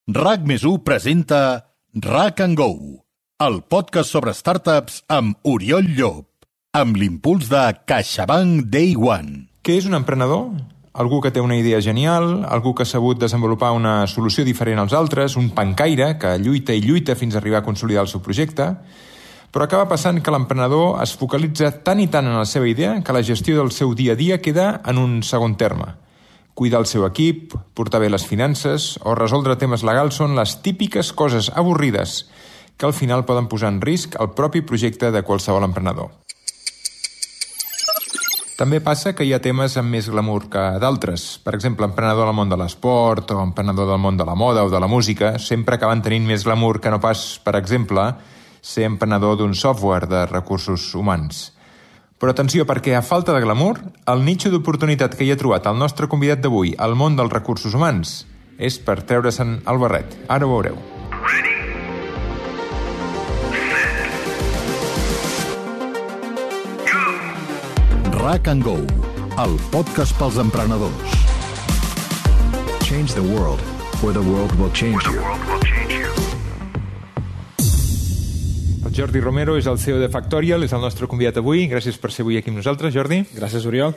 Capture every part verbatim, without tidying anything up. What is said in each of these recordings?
RAC més u presenta RAC and Go, el podcast sobre startups amb Oriol Llop, amb l'impuls de CaixaBank Day One. Què és un emprenedor? Algú que té una idea genial, algú que ha sabut desenvolupar una solució diferent als altres, un pencaire que lluita i lluita fins a arribar a consolidar el seu projecte, però acaba passant que l'emprenedor es focalitza tant i tant en la seva idea que la gestió del seu dia a dia queda en un segon terme. Cuidar el seu equip, portar bé les finances o resoldre temes legals són les típiques coses avorrides que al final poden posar en risc el propi projecte de qualsevol emprenedor. També passa que hi ha temes amb més glamour que d'altres. Per exemple, emprenedor del món de l'esport o emprenedor del món de la moda o de la música sempre acaben tenint més glamour que no pas, per exemple, ser emprenedor d'un software de recursos humans. Però atenció, perquè a falta de glamour, el nitxo d'oportunitat que hi ha trobat el nostre convidat d'avui al món dels recursos humans és per treure-se'n el barret. Ara ho veureu. RAC and Go, el podcast pels emprenedors. Change the world, or the world will change you. El Jordi Romero és el C E O de Factorial, és el nostre convidat avui. Gràcies per ser avui aquí amb nosaltres, Jordi. Gràcies, Oriol.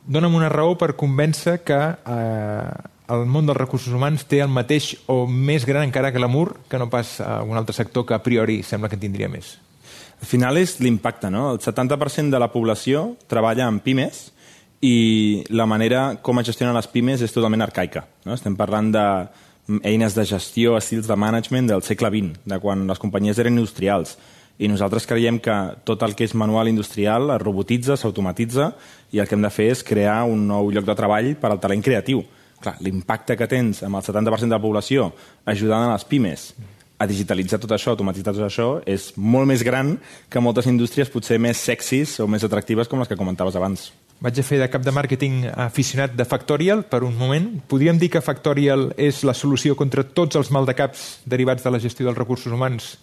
Dóna'm una raó per convèncer que eh, el món dels recursos humans té el mateix o més gran encara que l'amor que no pas a un altre sector que a priori sembla que en tindria més. Al final és l'impacte, no? El setanta per cent de la població treballa en pimes i la manera com es gestionen les pimes és totalment arcaica, no? Estem parlant de eines de gestió, estils de management del segle vint, de quan les companyies eren industrials. I nosaltres creiem que tot el que és manual industrial es robotitza, s'automatitza, i el que hem de fer és crear un nou lloc de treball per al talent creatiu. Clar, l'impacte que tens amb el setanta per cent de la població ajudant a les pimes a digitalitzar tot això, automatitzar tot això, és molt més gran que moltes indústries potser més sexis o més atractives com les que comentaves abans. Vaig a fer de cap de màrqueting aficionat de Factorial per un moment. Podríem dir que Factorial és la solució contra tots els maldecaps derivats de la gestió dels recursos humans,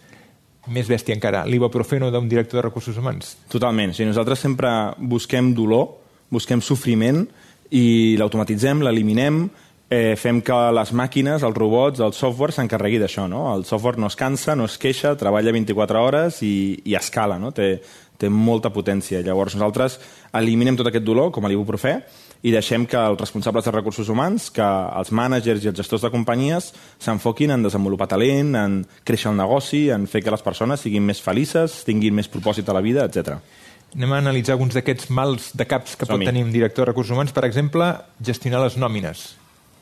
més bèstia encara, l'ibuprofeno d'un director de recursos humans? Totalment. O sigui, nosaltres sempre busquem dolor, busquem sofriment i l'automatitzem, l'eliminem, eh, fem que les màquines, els robots, el software s'encarregui d'això, no? El software no es cansa, no es queixa, treballa vint-i-quatre hores i, i escala, no? Té, té molta potència. Llavors nosaltres eliminem tot aquest dolor, com a l'ibuprofè, i deixem que els responsables de recursos humans, que els mànagers i els gestors de companyies s'enfoquin en desenvolupar talent, en créixer el negoci, en fer que les persones siguin més felices, tinguin més propòsit a la vida, etcètera. Anem a analitzar alguns d'aquests mals de caps que pot Som-hi. tenir un director de recursos humans. Per exemple, gestionar les nòmines.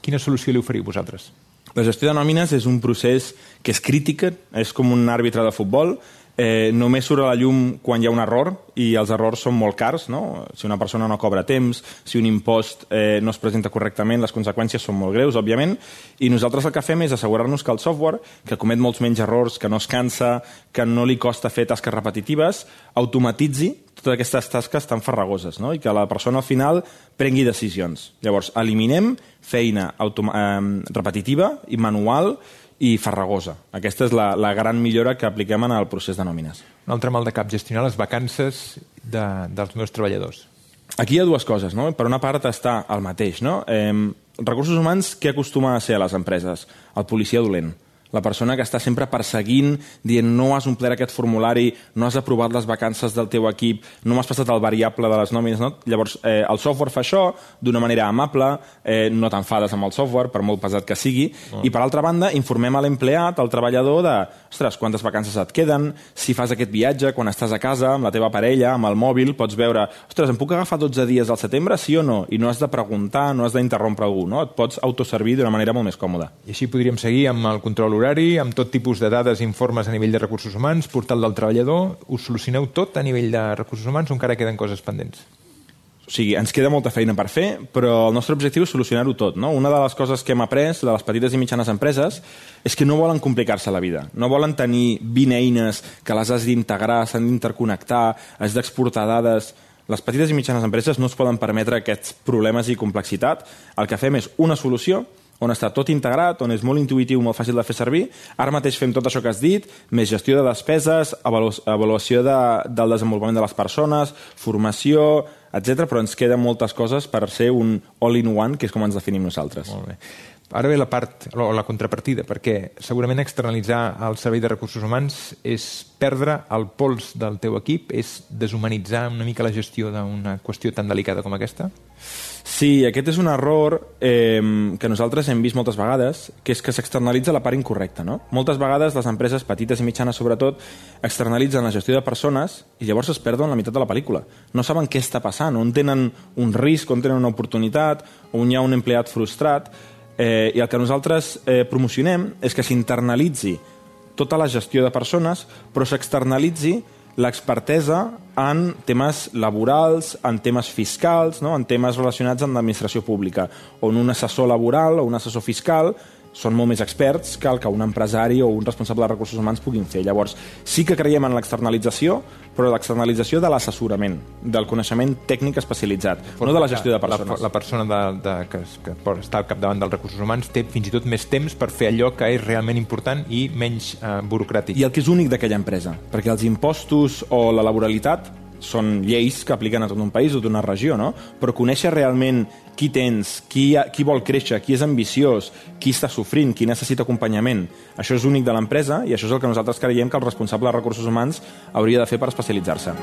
Quina solució li oferiu vosaltres? La gestió de nòmines és un procés que és crític, és com un àrbitre de futbol. Eh, només surt a la llum quan hi ha un error i els errors són molt cars, no? Si una persona no cobra a temps, si un impost eh, no es presenta correctament, les conseqüències són molt greus, òbviament, i nosaltres el que fem és assegurar-nos que el software, que comet molts menys errors, que no es cansa, que no li costa fer tasques repetitives, automatitzi totes aquestes tasques tan farragoses, no? I que la persona al final prengui decisions. Llavors, eliminem feina eh, repetitiva i manual i farragosa. Aquesta és la, la gran millora que apliquem en el procés de nòmines. Un altre mal de cap, gestionar les vacances de, dels meus treballadors. Aquí hi ha dues coses, no? Per una part està el mateix, no? Eh, recursos humans, què acostuma a ser a les empreses? El policia dolent. La persona que està sempre perseguint, dient no has omplert aquest formulari, no has aprovat les vacances del teu equip, no m'has passat el variable de les nòmines, no? Llavors, eh, el software fa això d'una manera amable, eh, no t'enfades amb el software, per molt pesat que sigui, oh. I per altra banda, informem a l'empleat, al treballador, de, ostres, quantes vacances et queden, si fas aquest viatge, quan estàs a casa, amb la teva parella, amb el mòbil, pots veure, ostres, em puc agafar dotze dies al setembre, sí o no? I no has de preguntar, no has d'interrompre algú, no? Et pots autoservir d'una manera molt més còmoda. I així podríem seguir amb el control horari, amb tot tipus de dades i informes a nivell de recursos humans, portal del treballador. Us solucioneu tot a nivell de recursos humans o encara queden coses pendents? O sigui, ens queda molta feina per fer, però el nostre objectiu és solucionar-ho tot, no? Una de les coses que hem après de les petites i mitjanes empreses és que no volen complicar-se la vida. No volen tenir vint eines que les has d'integrar, s'han d'interconnectar, has d'exportar dades. Les petites i mitjanes empreses no es poden permetre aquests problemes i complexitat. El que fem és una solució on està tot integrat, on és molt intuïtiu, molt fàcil de fer servir. Ara mateix fem tot això que has dit, més gestió de despeses, avalu avaluació de, del desenvolupament de les persones, formació, etcètera, però ens queden moltes coses per ser un all-in-one, que és com ens definim nosaltres. Molt bé. Ara ve la part, o la contrapartida, perquè segurament externalitzar el servei de recursos humans és perdre el pols del teu equip, és deshumanitzar una mica la gestió d'una qüestió tan delicada com aquesta? Sí, aquest és un error eh, que nosaltres hem vist moltes vegades, que és que s'externalitza la part incorrecta, no? Moltes vegades les empreses petites i mitjanes, sobretot, externalitzen la gestió de persones i llavors es perden la meitat de la pel·lícula. No saben què està passant, on tenen un risc, on tenen una oportunitat, on hi ha un empleat frustrat, eh, i el que nosaltres eh, promocionem és que s'internalitzi tota la gestió de persones, però s'externalitzi l'expertesa en temes laborals, en temes fiscals, no? En temes relacionats amb l'administració pública, on un assessor laboral o un assessor fiscal són molt més experts que el que un empresari o un responsable de recursos humans puguin fer. Llavors, sí que creiem en l'externalització, però l'externalització de l'assessorament, del coneixement tècnic especialitzat, no de la gestió de persones. La, la persona de, de, que, que està al capdavant dels recursos humans té fins i tot més temps per fer allò que és realment important i menys eh, burocràtic. I el que és únic d'aquella empresa, perquè els impostos o la laboralitat són lleis que apliquen a tot un país o d'una regió, no? Però conèixer realment qui tens, qui, ha, qui vol créixer, qui és ambiciós, qui està sofrint, qui necessita acompanyament, això és únic de l'empresa i això és el que nosaltres creiem que el responsable de recursos humans hauria de fer per especialitzar-se.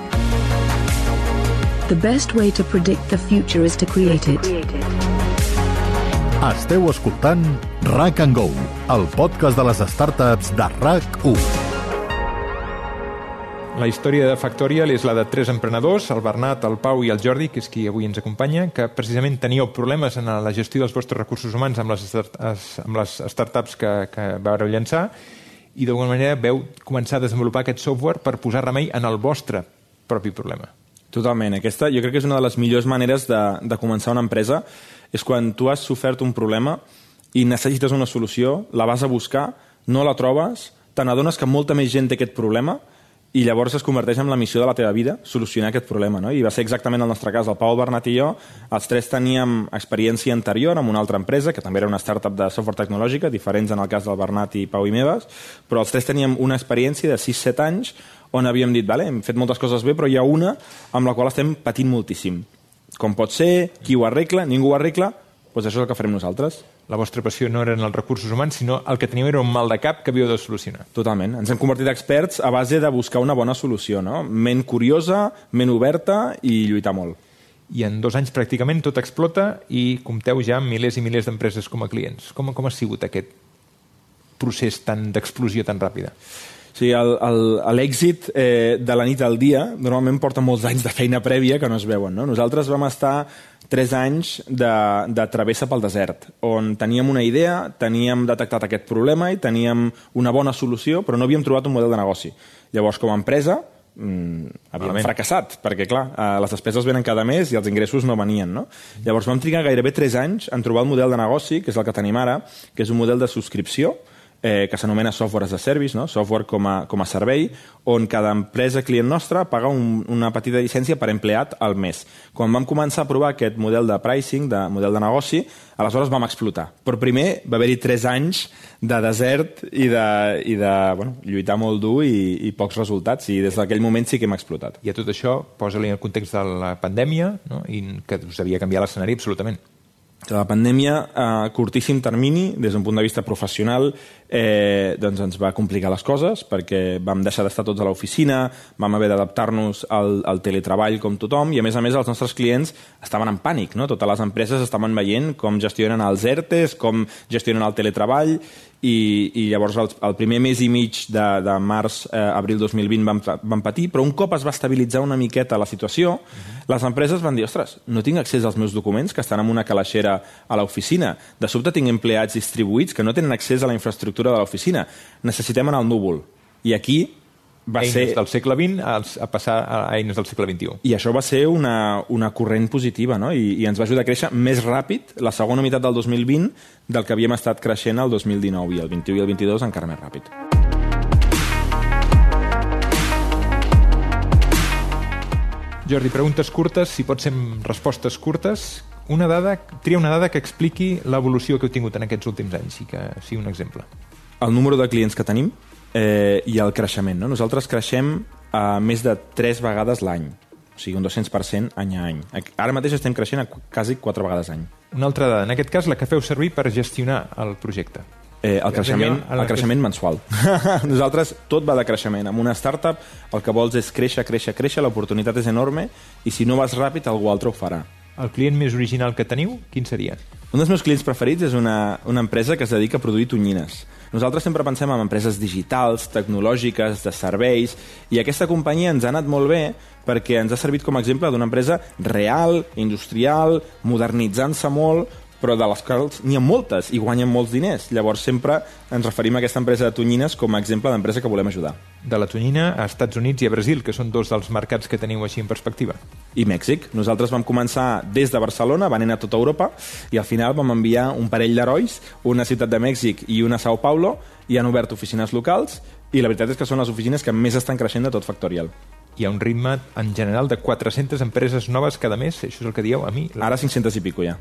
The best way to predict the future is to create it. Esteu escoltant R A C and Go, el podcast de les startups de R A C u. La història de Factorial és la de tres emprenedors, el Bernat, el Pau i el Jordi, que és qui avui ens acompanya, que precisament teníeu problemes en la gestió dels vostres recursos humans amb les, amb les startups que, que vau llançar i d'alguna manera veu començar a desenvolupar aquest software per posar remei en el vostre propi problema. Totalment. Aquesta jo crec que és una de les millors maneres de, de començar una empresa, és quan tu has sofert un problema i necessites una solució, la vas a buscar, no la trobes, te n'adones que molta més gent té aquest problema i llavors es converteix en la missió de la teva vida solucionar aquest problema, no? I va ser exactament el nostre cas. El Pau, el Bernat i jo, els tres teníem experiència anterior en una altra empresa, que també era una startup de software tecnològica, diferents en el cas del Bernat i Pau i meves, però els tres teníem una experiència de sis set anys on havíem dit, vale, hem fet moltes coses bé, però hi ha una amb la qual estem patint moltíssim. Com pot ser, qui ho arregla, ningú ho arregla, doncs això és el que farem nosaltres. La vostra passió no eren els recursos humans, sinó el que teníeu era un mal de cap que havíeu de solucionar. Totalment. Ens hem convertit experts a base de buscar una bona solució, no? Ment curiosa, ment oberta i lluitar molt. I en dos anys pràcticament tot explota i compteu ja amb milers i milers d'empreses com a clients. Com, com ha sigut aquest procés tan d'explosió tan ràpida? Sí, l'èxit eh, de la nit al dia normalment porta molts anys de feina prèvia que no es veuen, no? Nosaltres vam estar tres anys de, de travessa pel desert, on teníem una idea, teníem detectat aquest problema i teníem una bona solució, però no havíem trobat un model de negoci. Llavors, com a empresa, mmm, havíem Malament. fracassat, perquè, clar, eh, les despeses venen cada mes i els ingressos no venien, no? Llavors vam trigar gairebé tres anys en trobar el model de negoci, que és el que tenim ara, que és un model de subscripció, Eh, que s'anomena software as a service, no? Software com a, com a servei, on cada empresa client nostra paga un, una petita llicència per empleat al mes. Quan vam començar a provar aquest model de pricing, de model de negoci, aleshores vam explotar. Però primer va haver-hi tres anys de desert i de, i de bueno, lluitar molt dur i, i pocs resultats, i des d'aquell moment sí que hem explotat. I a tot això, posa-li en el context de la pandèmia, no? I que us havia canviat l'escenari absolutament. La pandèmia, a curtíssim termini, des d'un punt de vista professional, eh, doncs ens va complicar les coses perquè vam deixar d'estar tots a l'oficina, vam haver d'adaptar-nos al, al teletreball com tothom i, a més a més, els nostres clients estaven en pànic, no? Totes les empreses estaven veient com gestionen els ERTEs, com gestionen el teletreball i, i llavors el, el primer mes i mig de, de març, eh, abril dos mil vint vam, vam patir, però un cop es va estabilitzar una miqueta la situació, uh-huh. les empreses van dir, ostres, no tinc accés als meus documents que estan en una calaixera a l'oficina, de sobte tinc empleats distribuïts que no tenen accés a la infraestructura de l'oficina, necessitem anar al núvol. I aquí va eines ser... del segle vint a, a passar a eines del segle vint-i-u. I això va ser una, una corrent positiva, no? I, i ens va ajudar a créixer més ràpid la segona meitat del dos mil vint del que havíem estat creixent el dos mil dinou, i el vint-i-u i el vint-i-dos encara més ràpid. Jordi, preguntes curtes, si pot ser respostes curtes. Una dada, tria una dada que expliqui l'evolució que heu tingut en aquests últims anys i que sigui un exemple. El número de clients que tenim eh, i el creixement, no? Nosaltres creixem a més de tres vegades l'any. o sigui, un dos-cents per cent any a any. Ara mateix estem creixent a quasi quatre vegades any. Una altra dada, en aquest cas la que feu servir per gestionar el projecte. Eh, el creixement, el creixement mensual. Nosaltres tot va de creixement. Amb una startup el que vols és créixer, créixer, créixer, l'oportunitat és enorme i si no vas ràpid algú altre ho farà. El client més original que teniu, quin seria? Un dels meus clients preferits és una, una empresa que es dedica a produir tonyines. Nosaltres sempre pensem en empreses digitals, tecnològiques, de serveis, i aquesta companyia ens ha anat molt bé perquè ens ha servit com a exemple d'una empresa real, industrial, modernitzant-se molt, però de les quals n'hi ha moltes i guanyen molts diners. Llavors sempre ens referim a aquesta empresa de tonyines com a exemple d'empresa que volem ajudar. De la tonyina a Estats Units i a Brasil, que són dos dels mercats que teniu així en perspectiva. I Mèxic. Nosaltres vam començar des de Barcelona, van anar a tota Europa, i al final vam enviar un parell d'herois, una ciutat de Mèxic i una a Sao Paulo, i han obert oficines locals, i la veritat és que són les oficines que més estan creixent de tot Factorial. Hi ha un ritme, en general, de quatre-centes empreses noves cada mes. Això és el que dieu a mi. Ara cinc-centes i pico, ja.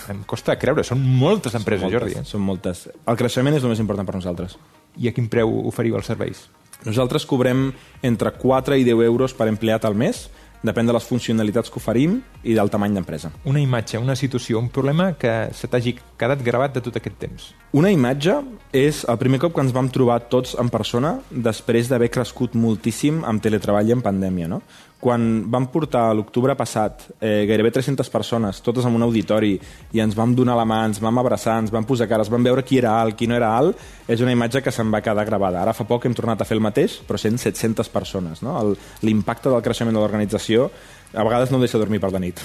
Em costa creure. Són moltes empreses, són moltes, Jordi. Eh? Són moltes. El creixement és el més important per nosaltres. I a quin preu oferiu els serveis? Nosaltres cobrem entre quatre i deu euros per empleat al mes, depèn de les funcionalitats que oferim i del tamany d'empresa. Una imatge, una situació, un problema que se t'hagi quedat gravat de tot aquest temps. Una imatge és el primer cop que ens vam trobar tots en persona després d'haver crescut moltíssim amb teletreball i en pandèmia, no? Quan vam portar l'octubre passat eh, gairebé tres-centes persones, totes en un auditori, i ens vam donar la mà, ens vam abraçar, ens vam posar cares, vam veure qui era alt, qui no era alt, és una imatge que se'n va quedar gravada. Ara fa poc hem tornat a fer el mateix, però sent set-centes persones. No? L'impacte del creixement de l'organització a vegades no deixa dormir per la nit.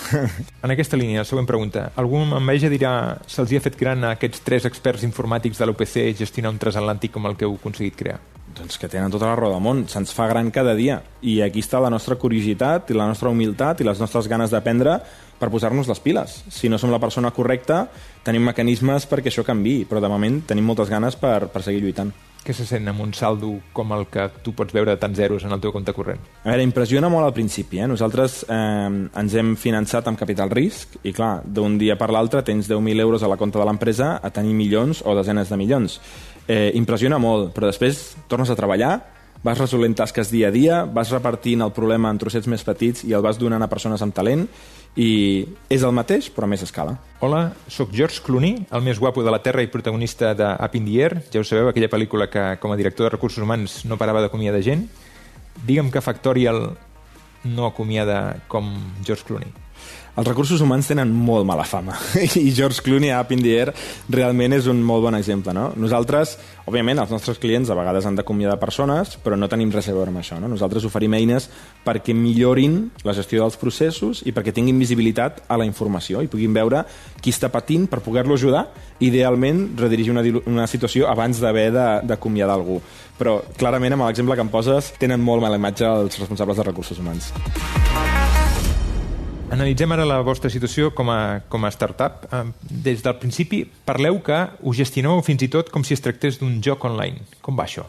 En aquesta línia, la següent pregunta. Algú amb enveja dirà se'ls hi ha fet gran a aquests tres experts informàtics de l'U P C gestionar un transatlàntic com el que heu aconseguit crear? Doncs que tenen tota la raó del món, se'ns fa gran cada dia. I aquí està la nostra curiositat i la nostra humilitat i les nostres ganes d'aprendre per posar-nos les piles. Si no som la persona correcta, tenim mecanismes perquè això canviï, però de moment tenim moltes ganes per, per seguir lluitant. Què se sent amb un saldo com el que tu pots veure de tants zeros en el teu compte corrent? A veure, impressiona molt al principi. Eh? Nosaltres eh, ens hem finançat amb capital risc i, clar, d'un dia per l'altre tens deu mil euros a la compta de l'empresa a tenir milions o desenes de milions. Eh, impressiona molt, però després tornes a treballar, vas resolent tasques dia a dia, vas repartint el problema en trossets més petits i el vas donant a persones amb talent, i és el mateix, però a més escala. Hola, sóc George Clooney, el més guapo de la Terra i protagonista de Up in the Air. Ja ho sabeu, aquella pel·lícula que, com a director de recursos humans, no parava d'acomiadar gent. Digue'm que Factorial no acomiada com George Clooney. Els recursos humans tenen molt mala fama i George Clooney a Up in the Air realment és un molt bon exemple. No? Nosaltres, òbviament, els nostres clients a vegades han d'acomiadar persones, però no tenim res a veure amb això. No? Nosaltres oferim eines perquè millorin la gestió dels processos i perquè tinguin visibilitat a la informació i puguin veure qui està patint per poder-lo ajudar, idealment redirigir una, una situació abans d'haver d'acomiadar algú. Però clarament amb l'exemple que em poses tenen molt mala imatge els responsables de recursos humans. Analitzem ara la vostra situació com a, com a startup. Des del principi parleu que us gestioneu fins i tot com si es tractés d'un joc online. Com va això?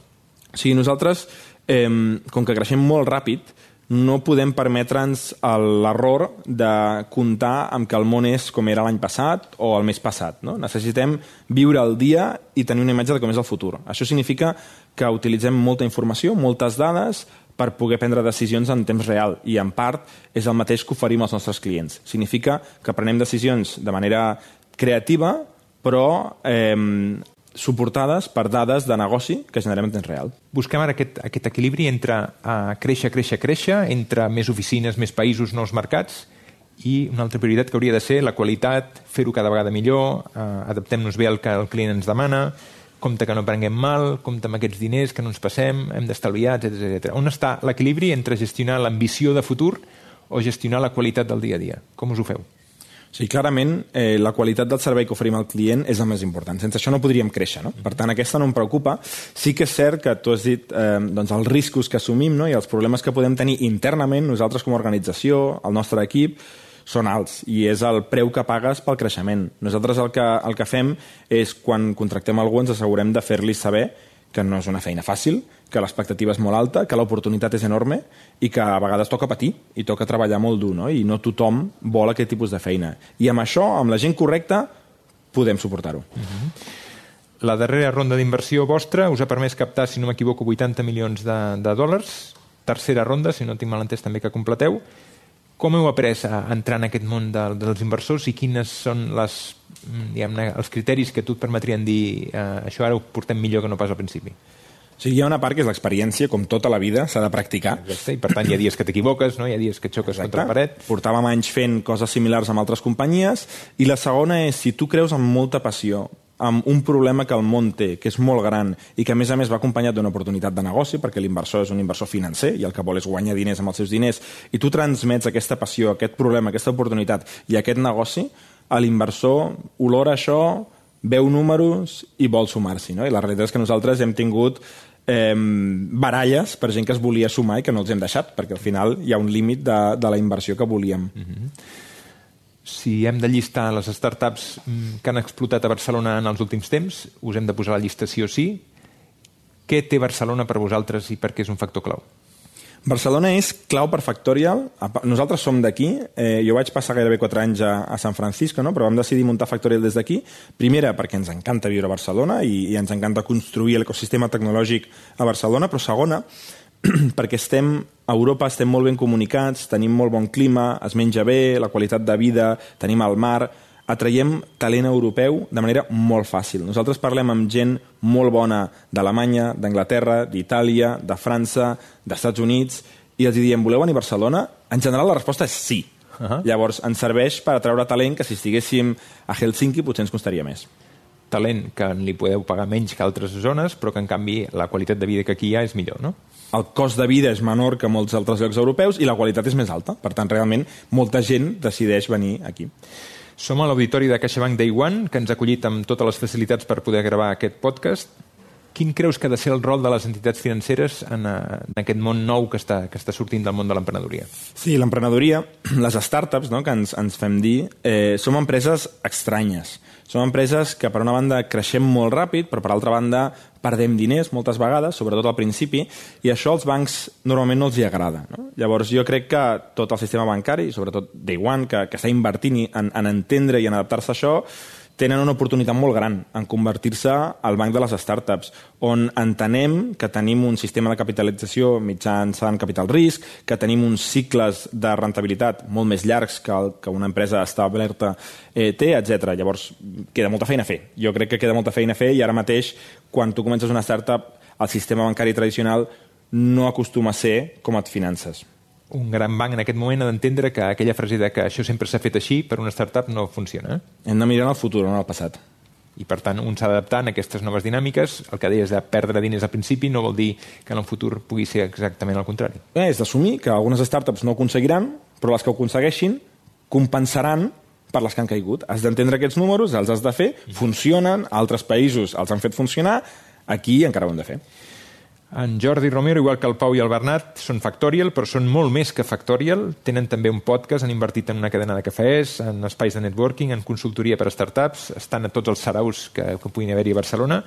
Sí, nosaltres, eh, com que creixem molt ràpid, no podem permetre'ns l'error de comptar amb que el món és com era l'any passat o el mes passat. No? Necessitem viure el dia i tenir una imatge de com és el futur. Això significa que utilitzem molta informació, moltes dades, per poder prendre decisions en temps real i en part és el mateix que oferim als nostres clients. Significa que prenem decisions de manera creativa però eh, suportades per dades de negoci que generem en temps real. Busquem ara aquest, aquest equilibri entre uh, créixer, créixer, créixer, entre més oficines, més països, nous mercats i una altra prioritat que hauria de ser la qualitat, fer-ho cada vegada millor, uh, adaptem-nos bé al que el client ens demana, compte que no prenguem mal, compte amb aquests diners, que no ens passem, hem d'estalviar, etcètera etcètera. On està l'equilibri entre gestionar l'ambició de futur o gestionar la qualitat del dia a dia? Com us ho feu? Sí, clarament, eh, la qualitat del servei que oferim al client és el més important. Sense això no podríem créixer, no? Per tant, aquesta no em preocupa. Sí que és cert que tu has dit eh, doncs, els riscos que assumim, no? I els problemes que podem tenir internament, nosaltres com a organització, el nostre equip, són alts i és el preu que pagues pel creixement. Nosaltres el que, el que fem és, quan contractem algú, ens assegurem de fer-li saber que no és una feina fàcil, que l'expectativa és molt alta, que l'oportunitat és enorme i que a vegades toca patir i toca treballar molt dur, no? I no tothom vol aquest tipus de feina. I amb això, amb la gent correcta, podem suportar-ho. Uh-huh. La darrera ronda d'inversió vostra us ha permès captar, si no m'equivoco, vuitanta milions de, de dòlars. Tercera ronda, si no tinc mal entès també que completeu. Com heu après a entrar en aquest món de, dels inversors i quines són les, diguem-ne, els criteris que tu et permetrien dir eh, això ara ho portem millor que no pas al principi? O sigui, hi ha una part que és l'experiència, com tota la vida, s'ha de practicar. Exacte, i per tant hi ha dies que t'equivoques, no? Hi ha dies que xoques Exacte. contra la paret. Portàvem anys fent coses similars amb altres companyies, i la segona és, si tu creus amb molta passió amb un problema que el món té, que és molt gran i que a més a més va acompanyat d'una oportunitat de negoci, perquè l'inversor és un inversor financer i el que vol és guanyar diners amb els seus diners, i tu transmets aquesta passió, aquest problema, aquesta oportunitat i aquest negoci, a l'inversor olora això, veu números i vol sumar-s'hi, no? I la realitat és que nosaltres hem tingut eh, baralles per gent que es volia sumar i que no els hem deixat, perquè al final hi ha un límit de, de la inversió que volíem. Mm-hmm. Si hem de llistar les startups que han explotat a Barcelona en els últims temps, us hem de posar a la llista sí o sí. Què té Barcelona per vosaltres i per què és un factor clau? Barcelona és clau per Factorial. Nosaltres som d'aquí. Eh, jo vaig passar gairebé quatre anys a, a San Francisco, no? Però vam decidir muntar Factorial des d'aquí. Primera, perquè ens encanta viure a Barcelona i, i ens encanta construir l'ecosistema tecnològic a Barcelona, però segona, perquè estem a Europa, estem molt ben comunicats, tenim molt bon clima, es menja bé, la qualitat de vida, tenim el mar, atraiem talent europeu de manera molt fàcil. Nosaltres parlem amb gent molt bona d'Alemanya, d'Anglaterra, d'Itàlia, de França, dels Estats Units, i els diem, voleu venir a Barcelona? En general la resposta és sí. Uh-huh. Llavors ens serveix per atraure talent que si estiguéssim a Helsinki potser ens costaria més. Talent que li podeu pagar menys que altres zones, però que en canvi la qualitat de vida que aquí hi ha és millor, no? El cost de vida és menor que molts altres llocs europeus i la qualitat és més alta. Per tant, realment, molta gent decideix venir aquí. Som a l'auditori de CaixaBank Day One, que ens ha acollit amb totes les facilitats per poder gravar aquest podcast. Quin creus que ha de ser el rol de les entitats financeres en, en aquest món nou que està, que està sortint del món de l'emprenedoria? Sí, l'emprenedoria, les startups, no?, que ens, ens fem dir, eh, som empreses estranyes. Som empreses que, per una banda, creixem molt ràpid, però, per altra banda, perdem diners moltes vegades, sobretot al principi, i això als bancs normalment no els hi agrada. No? Llavors, jo crec que tot el sistema bancari, sobretot Day One, que, que està invertint en, en entendre i en adaptar-se a això, tenen una oportunitat molt gran en convertir-se al banc de les startups, on entenem que tenim un sistema de capitalització mitjançant capital risc, que tenim uns cicles de rentabilitat molt més llargs que, el, que una empresa establerta eh, té, etcètera. Llavors, queda molta feina a fer. Jo crec que queda molta feina a fer i ara mateix, quan tu comences una startup, el sistema bancari tradicional no acostuma a ser com et finances. Un gran banc en aquest moment ha d'entendre que aquella frase de que això sempre s'ha fet així per una startup no funciona. Hem de mirar en el futur, no en el passat. I per tant un s'ha d'adaptar a aquestes noves dinàmiques. El que deies de perdre diners al principi no vol dir que en el futur pugui ser exactament el contrari. Eh, és d'assumir que algunes startups no ho aconseguiran, però les que ho aconsegueixin compensaran per les que han caigut. Has d'entendre aquests números, els has de fer, funcionen, altres països els han fet funcionar, aquí encara ho hem de fer. En Jordi Romero, igual que el Pau i el Bernat, són Factorial, però són molt més que Factorial. Tenen també un podcast, han invertit en una cadena de cafès, en espais de networking, en consultoria per a startups, estan a tots els saraus que, que puguin haver-hi a Barcelona.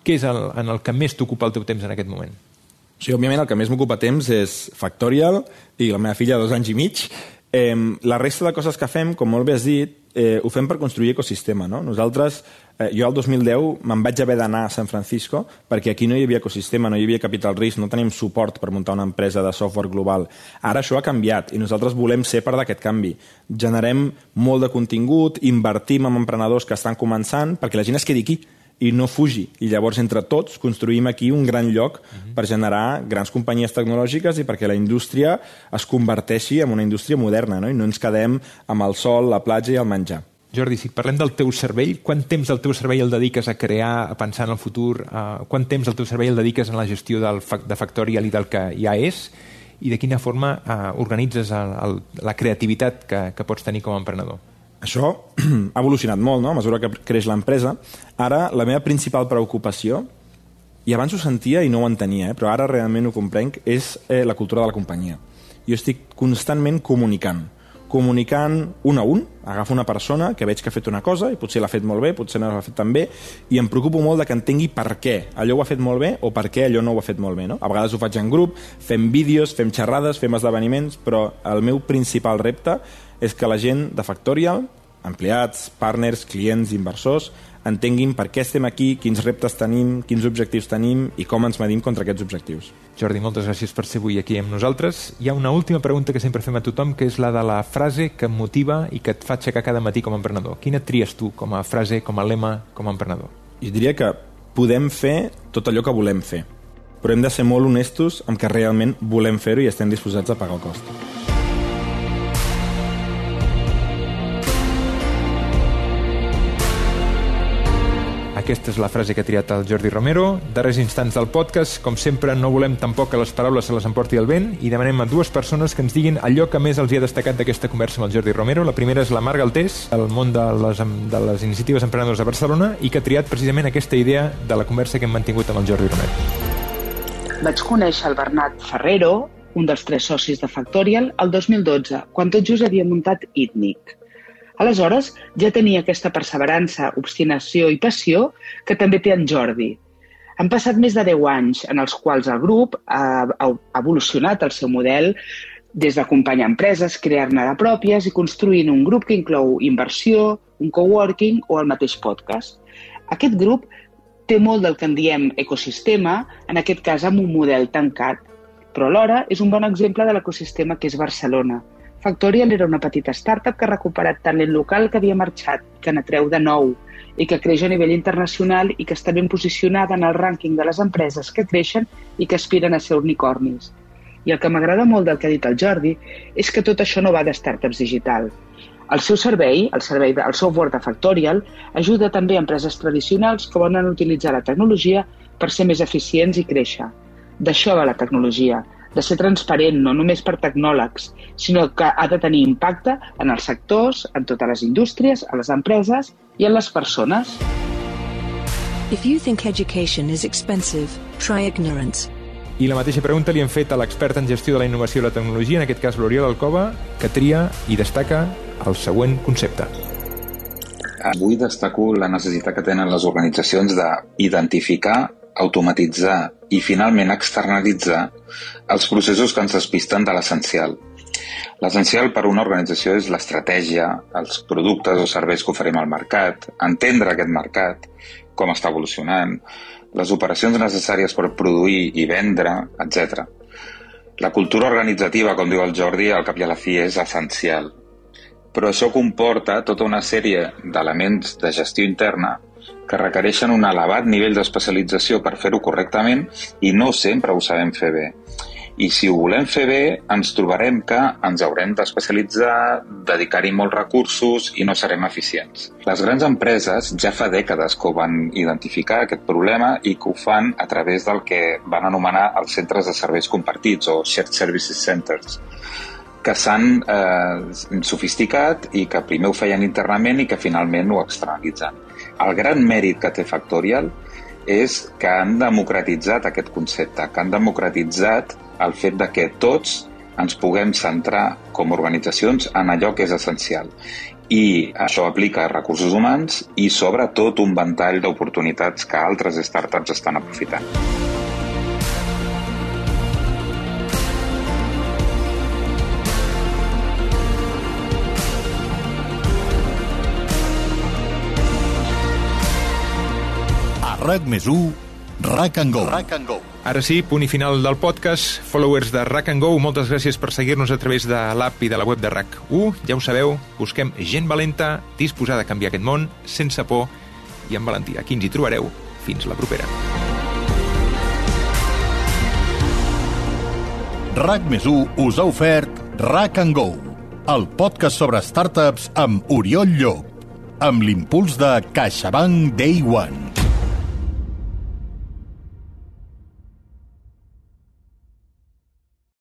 Què és el, en el que més t'ocupa el teu temps en aquest moment? Sí, òbviament el que més m'ocupa temps és Factorial i la meva filla de dos anys i mig. Eh, la resta de coses que fem, com molt bé has dit, eh, ho fem per construir ecosistema. No? Nosaltres, eh, jo el dos mil deu me'n vaig haver d'anar a San Francisco perquè aquí no hi havia ecosistema, no hi havia capital risc, no tenim suport per muntar una empresa de software global. Ara això ha canviat i nosaltres volem ser part d'aquest canvi. Generem molt de contingut, invertim en emprenedors que estan començant perquè la gent es quedi aquí i no fugi. I llavors, entre tots, construïm aquí un gran lloc uh-huh. per generar grans companyies tecnològiques i perquè la indústria es converteixi en una indústria moderna, no? I no ens quedem amb el sol, la platja i el menjar. Jordi, si parlem del teu cervell, quant temps del teu cervell el dediques a crear, a pensar en el futur? Uh, quant temps del teu cervell el dediques en la gestió del fa- de Factorial i del que ja és? I de quina forma uh, organitzes el, el, la creativitat que, que pots tenir com a emprenedor? Això ha evolucionat molt, no?, a mesura que creix l'empresa. Ara, la meva principal preocupació, i abans ho sentia i no ho entenia, eh, però ara realment ho comprenc, és eh, la cultura de la companyia. Jo estic constantment comunicant. Comunicant un a un, agafo una persona que veig que ha fet una cosa i potser l'ha fet molt bé, potser no l'ha fet tan bé, i em preocupo molt de que entengui per què allò ho ha fet molt bé o per què allò no ho ha fet molt bé. No? A vegades ho faig en grup, fem vídeos, fem xerrades, fem esdeveniments, però el meu principal repte és que la gent de Factorial, empleats, partners, clients, inversors, entenguin per què estem aquí, quins reptes tenim, quins objectius tenim i com ens medim contra aquests objectius. Jordi, moltes gràcies per ser avui aquí amb nosaltres. Hi ha una última pregunta que sempre fem a tothom, que és la de la frase que em motiva i que et fa aixecar cada matí com a emprenedor. Quina tries tu com a frase, com a lema, com a emprenedor? Jo diria que podem fer tot allò que volem fer, però hem de ser molt honestos amb que realment volem fer-ho i estem disposats a pagar el cost. Aquesta és la frase que ha triat el Jordi Romero. Darrers instants del podcast. Com sempre, no volem tampoc que les paraules se les emporti el vent i demanem a dues persones que ens diguin allò que més els hi ha destacat d'aquesta conversa amb el Jordi Romero. La primera és la Mar Galtés, del món de les, de les iniciatives emprenedores de Barcelona, i que ha triat precisament aquesta idea de la conversa que hem mantingut amb el Jordi Romero. Vaig conèixer el Bernat Ferrero, un dels tres socis de Factorial, el dos mil dotze, quan tot just havia muntat Itnic. Aleshores, ja tenia aquesta perseverança, obstinació i passió que també té en Jordi. Han passat més de deu anys en els quals el grup ha, ha evolucionat el seu model des d'acompanyar empreses, crear-ne de pròpies i construint un grup que inclou inversió, un coworking o el mateix podcast. Aquest grup té molt del que en diem ecosistema, en aquest cas amb un model tancat, però alhora és un bon exemple de l'ecosistema que és Barcelona. Factorial era una petita startup que ha recuperat talent local que havia marxat, que n'atreu de nou i que creix a nivell internacional i que està ben posicionada en el rànquing de les empreses que creixen i que aspiren a ser unicornis. I el que m'agrada molt del que ha dit el Jordi és que tot això no va de startups digital. El seu servei, el servei del software de Factorial, ajuda també a empreses tradicionals que volen utilitzar la tecnologia per ser més eficients i créixer. D'això va la tecnologia, de ser transparent, no només per tecnòlegs, sinó que ha de tenir impacte en els sectors, en totes les indústries, a les empreses i en les persones. If you think education is expensive, try ignorance. I la mateixa pregunta li hem fet a l'expert en gestió de la innovació i la tecnologia, en aquest cas l'Oriol Alcoba, que tria i destaca el següent concepte. Avui destaco la necessitat que tenen les organitzacions d'identificar, automatitzar i finalment externalitzar els processos que ens despisten de l'essencial. L'essencial per una organització és l'estratègia, els productes o serveis que oferim al mercat, entendre aquest mercat, com està evolucionant, les operacions necessàries per produir i vendre, etcètera. La cultura organitzativa, com diu el Jordi, al cap i a la fi és essencial. Però això comporta tota una sèrie d'elements de gestió interna que requereixen un elevat nivell d'especialització per fer-ho correctament i no sempre ho sabem fer bé. I si ho volem fer bé, ens trobarem que ens haurem d'especialitzar, dedicar-hi molts recursos i no serem eficients. Les grans empreses ja fa dècades que ho van identificar, aquest problema, i que ho fan a través del que van anomenar els centres de serveis compartits o Shared Services Centers, que s'han eh, sofisticat i que primer ho feien internament i que finalment ho externalitzen. El gran mèrit que té Factorial és que han democratitzat aquest concepte, que han democratitzat el fet de que tots ens puguem centrar com a organitzacions en allò que és essencial. I això aplica a recursos humans i sobretot un ventall d'oportunitats que altres startups estan aprofitant. RAC més u, Rack and Go. Rack and Go. Ara sí, punt i final del podcast. Followers de Rack and Go, moltes gràcies per seguir-nos a través de l'app i de la web de RAC u. Ja ho sabeu, busquem gent valenta, disposada a canviar aquest món, sense por i amb valentia. Aquí ens hi trobareu. Fins la propera. RAC més u us ha ofert Rack and Go, el podcast sobre startups amb Oriol Llop, amb l'impuls de CaixaBank Day One.